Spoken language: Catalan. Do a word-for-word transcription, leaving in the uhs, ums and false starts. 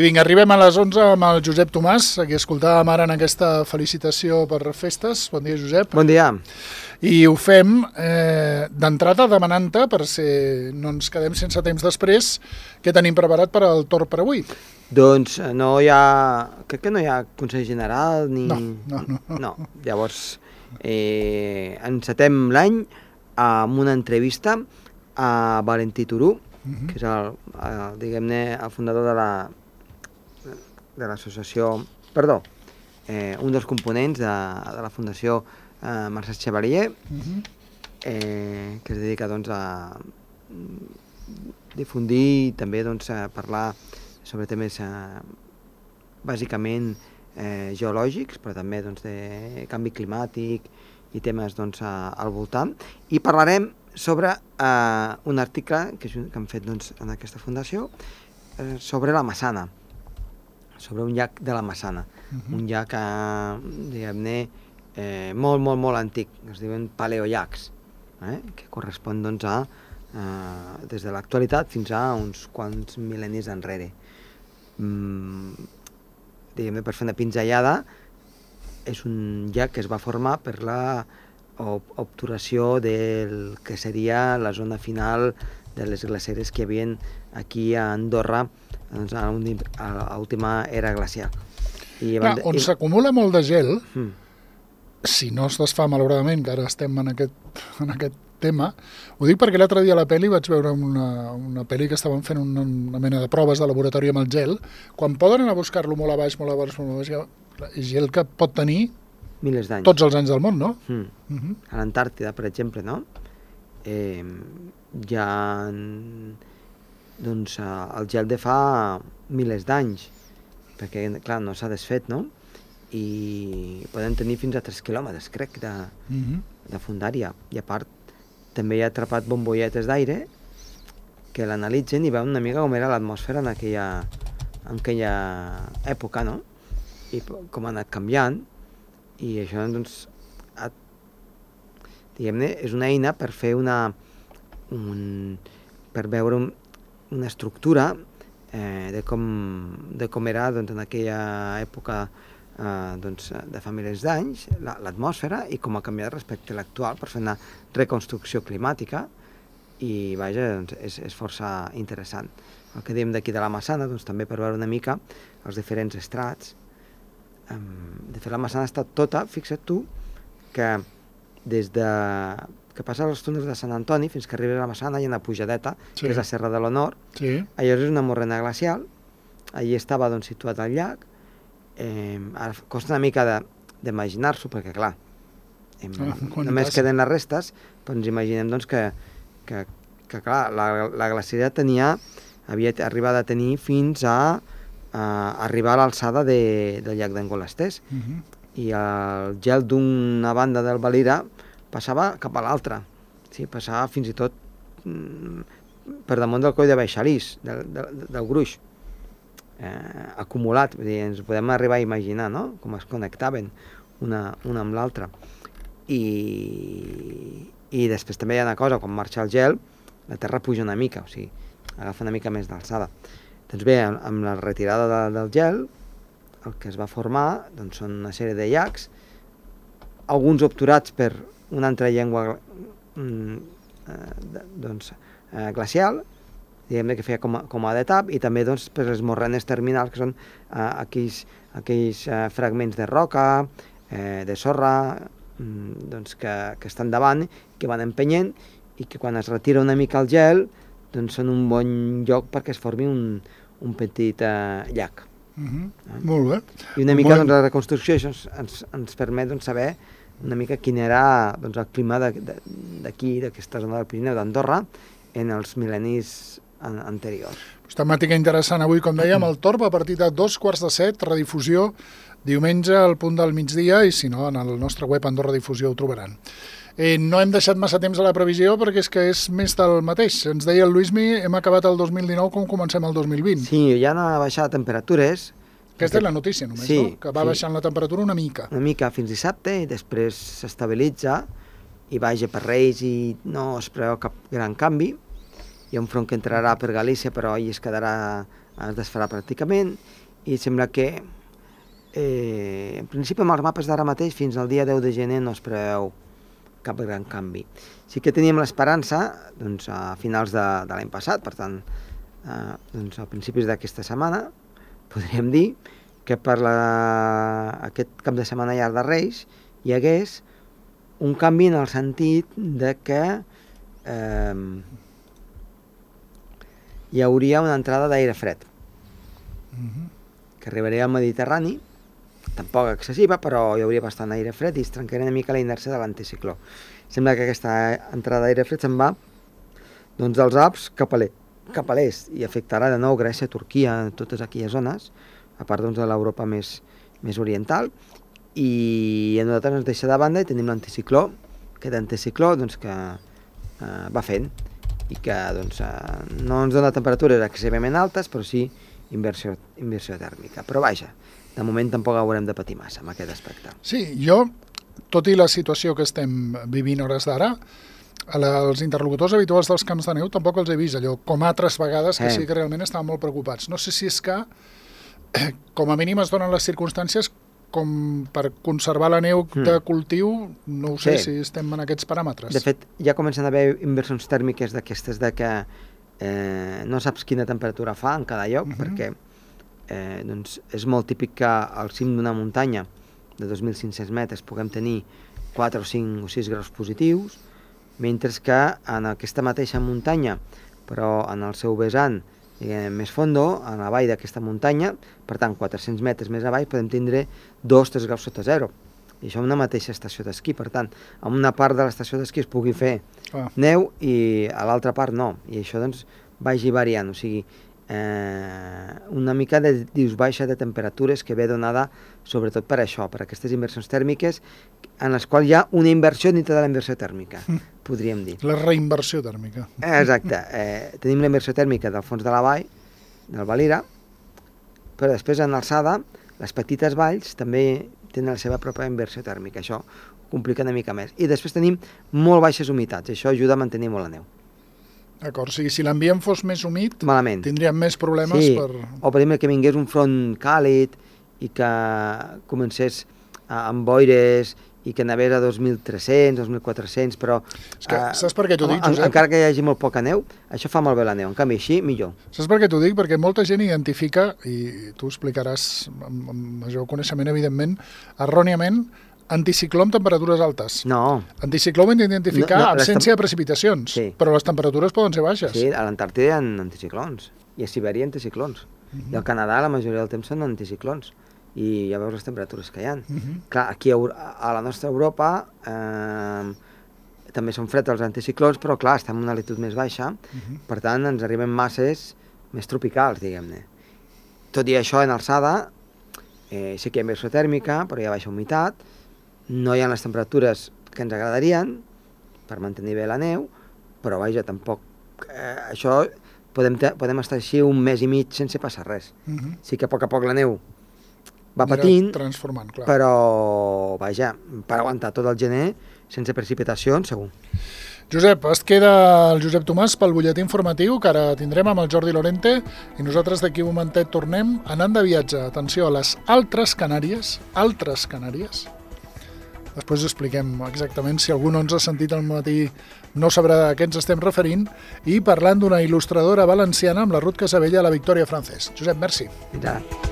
I vinga, arribem a les onze amb el Josep Tomàs, a qui escoltàvem ara en aquesta felicitació per festes. Bon dia, Josep. Bon dia. I ho fem eh, d'entrada demanant-te, per si no ens quedem sense temps després, què tenim preparat per al torn per avui. Doncs no hi ha... Crec que no hi ha Consell General ni... No, no, no. No. Llavors, eh, encetem l'any amb una entrevista a Valentí Turú, uh-huh. que és el, el, diguem-ne, el fundador de la de l'associació, perdó, eh, un dels components de, de la Fundació eh, Mercè Chevalier, uh-huh. eh, que es dedica doncs, a difundir i també doncs, a parlar sobre temes eh, bàsicament eh, geològics, però també doncs, de canvi climàtic i temes doncs, a, al voltant. I parlarem sobre eh, un article que, que han fet doncs, en aquesta fundació eh, sobre la Massana, sobre un llac de la Massana, uh-huh. un llac eh, diguem-ne eh, molt, molt, molt antic, es diuen paleollacs, eh, que correspon doncs, a eh, des de l'actualitat fins a uns quants mil·lennis enrere. Mm, diguem-ne, per fer una pinzellada, és un llac que es va formar per la obturació del que seria la zona final de les glaceres que hi havia aquí a Andorra doncs, a l'última era glacial. I Clar, on i... s'acumula molt de gel, mm. si no es desfà malauradament, que ara estem en aquest, en aquest tema, ho dic perquè l'altre dia a la pel·li vaig veure una, una pel·li que estaven fent una, una mena de proves de laboratori amb el gel, quan poden anar a buscar-lo molt a baix, molt a baix, molt a baix, és gel que pot tenir milers d'anys. Tots els anys del món, no? Mm. Uh-huh. A l'Antàrtida, per exemple, no? Eh, hi ha doncs, el gel de fa milers d'anys, perquè, clar, no s'ha desfet, no? I podem tenir fins a tres quilòmetres, crec, de, uh-huh. de fundària. I a part, també hi ha atrapat bombolletes d'aire que l'analitzen i veuen una mica com era l'atmosfera en aquella, en aquella època, no? I com ha anat canviant. I això, doncs, ha, diguem-ne, és una eina per fer una... Un, per veure un, una estructura eh, de, com, de com era doncs, en aquella època eh, doncs, de fa milers d'anys, l'atmosfera, i com ha canviat respecte a l'actual per fer una reconstrucció climàtica, i vaja, doncs, és, és força interessant. El que diem d'aquí de la Massana, doncs, també per veure una mica els diferents estrats. De fet, la Massana ha estat tota, fixa't tu, que des de... que passa als túnels de Sant Antoni fins que arriba a la Massana hi ha una pujadeta, sí. que és la Serra de l'Honor. Sí. Allò és una morrena glacial, allí estava doncs, situat el llac. Eh, ara costa una mica d'imaginar-s'ho, perquè clar, eh, ah, només passa? Queden les restes, però ens imaginem doncs, que, que, que clar, la, la glaciera tenia, havia arribat a tenir fins a a arribar a l'alçada de, del llac d'Angolastès, uh-huh. i el gel d'una banda del Valira passava cap a l'altra, sí? Passava fins i tot mm, per damunt del coll de Baixalís, del, del, del gruix, eh, acumulat. Vull dir, ens podem arribar a imaginar, no?, com es connectaven una, una amb l'altra. I, I després també hi ha una cosa, quan marxa el gel, la terra puja una mica, o sigui, agafa una mica més d'alçada. Doncs bé, amb la retirada de, del gel, el que es va formar doncs, són una sèrie de llacs, alguns obturats per una altra llengua mm, eh, doncs, eh, glacial, diguem-ne que feia com a, com a d'etap, i també doncs, per les morrenes terminals, que són eh, aquells, aquells eh, fragments de roca, eh, de sorra, mm, doncs, que, que estan davant, que van empenyent, i que quan es retira una mica el gel, doncs són un bon lloc perquè es formi un, un petit eh, llac. Uh-huh. Eh? Molt bé. I una mica bon... doncs, la reconstrucció això ens, ens, ens permet doncs, saber una mica quin era doncs, el clima d'aquí, d'aquesta zona del Pirineu d'Andorra, en els mil·lennis an anteriors. Pues temàtica interessant avui, com dèiem, el Torb a partir de dos quarts de set, redifusió diumenge al punt del migdia, i si no, en el nostre web Andorra Difusió ho trobaran. Eh, no hem deixat massa temps a la previsió perquè és que és més del mateix. Ens deia el Luismi, hem acabat el dos mil dinou com comencem el dos mil vint. Sí, ja han baixat temperatures. Aquesta és la notícia només, sí, no? Que va sí. baixant la temperatura una mica. Una mica fins dissabte i després s'estabilitza i vaja per Reis i no es preveu cap gran canvi. Hi ha un front que entrarà per Galícia però ell es quedarà es desfarà pràcticament, i sembla que eh, en principi amb els mapes d'ara mateix fins al dia deu de gener no es preveu cap gran canvi. Sí que teníem l'esperança doncs, a finals de, de l'any passat, per tant, eh, doncs, a principis d'aquesta setmana, podríem dir que per la, aquest cap de setmana llarg de Reis hi hagués un canvi en el sentit de que eh, hi hauria una entrada d'aire fred Mhm. que arribaria al Mediterrani, tampoc excessiva, però hi hauria bastant aire fred i es trencaria una mica la inèrcia de l'anticicló. Sembla que aquesta entrada d'aire fred se'n va doncs, dels Alps cap a l'est cap a l'est i afectarà de nou Grècia, Turquia, totes aquelles zones, a part doncs, de l'Europa més, més oriental, i a nosaltres ens deixa de banda i tenim l'anticicló, aquest anticicló doncs, que eh, va fent i que doncs, eh, no ens dona temperatures excessivament altes, però sí inversió, inversió tèrmica. Però vaja, de moment tampoc haurem de patir massa amb aquest aspecte. Sí, jo, tot i la situació que estem vivint hores d'ara, els interlocutors habituals dels camps de neu tampoc els he vist allò, com altres vegades que Eh. sí que realment estaven molt preocupats. No sé si és que, eh, com a mínim es donen les circumstàncies com per conservar la neu Mm. de cultiu, no ho sé Sí. si estem en aquests paràmetres. De fet, ja comencen a haver inversions tèrmiques d'aquestes de que eh, no saps quina temperatura fa en cada lloc, Mhm. perquè eh, doncs és molt típic que al cim d'una muntanya de dos mil cinc-cents metres puguem tenir quatre o cinc o sis graus positius, mentre que en aquesta mateixa muntanya, però en el seu vessant diguem, més fondo, a la vall d'aquesta muntanya, per tant, quatre-cents metres més avall, podem tindre dos o tres graus sota zero. I això en una mateixa estació d'esquí. Per tant, en una part de l'estació d'esquí es pugui fer Ah. neu i a l'altra part no. I això doncs vagi variant, o sigui, eh, una mica de dius baixa de temperatures que ve donada sobretot per això, per aquestes inversions tèrmiques en les quals hi ha una inversió dintre de la inversió tèrmica, podríem dir. La reinversió tèrmica. Exacte. Eh, tenim la inversió tèrmica del fons de la vall, del Valira, però després en alçada, les petites valls també tenen la seva pròpia inversió tèrmica. Això ho complica una mica més. I després tenim molt baixes humitats. Això ajuda a mantenir molt la neu. D'acord, o sigui, si l'ambient fos més humit, Malament. tindríem més problemes Sí, per... o per exemple que vingués un front càlid i que comencés a- amb boires i que n'havés a dos mil tres-cents, dos mil quatre-cents, però... És que, eh, saps per què t'ho dic, en- Josep? Encara que hi hagi molt poca neu, això fa molt bé la neu. En canvi, així, millor. Saps per què t'ho dic? Perquè molta gent identifica, i tu ho explicaràs amb, amb major coneixement, evidentment, erròniament, anticicló amb temperatures altes. No, Anticicló ho hem d'identificar No, no, les absència tem- de precipitacions, Sí. però les temperatures poden ser baixes. sí, a l'Antàrtida hi ha anticiclons, i a Sibèria anticiclons. Mhm. I al Canadà la majoria del temps són anticiclons, i ja veus les temperatures que hi ha. Mhm. Clar, aquí a, Euro- a la nostra Europa eh, també són freds els anticiclons, però clar, estem en una altitud més baixa, Mhm. per tant ens arriben masses més tropicals, diguem-ne. Tot i això, en alçada, eh, sí que hi ha inversió tèrmica, però hi ha baixa humitat, no hi ha les temperatures que ens agradarien per mantenir bé la neu, però vaja, tampoc... Eh, això podem, te- podem estar així un mes i mig sense passar res. Mhm. Sí que a poc a poc la neu va Anirà patint, transformant, clar. però vaja, per aguantar tot el gener sense precipitacions, segur. Josep, es queda el Josep Tomàs pel butlletí informatiu que ara tindrem amb el Jordi Lorente i nosaltres d'aquí un momentet tornem anant de viatge. Atenció a les altres Canàries, altres Canàries. Després expliquem exactament si algú no ens ha sentit al matí no sabrà a què ens estem referint i parlant d'una il·lustradora valenciana amb la Ruth Casabella a la Victòria Francès. Josep, merci. Fins ara.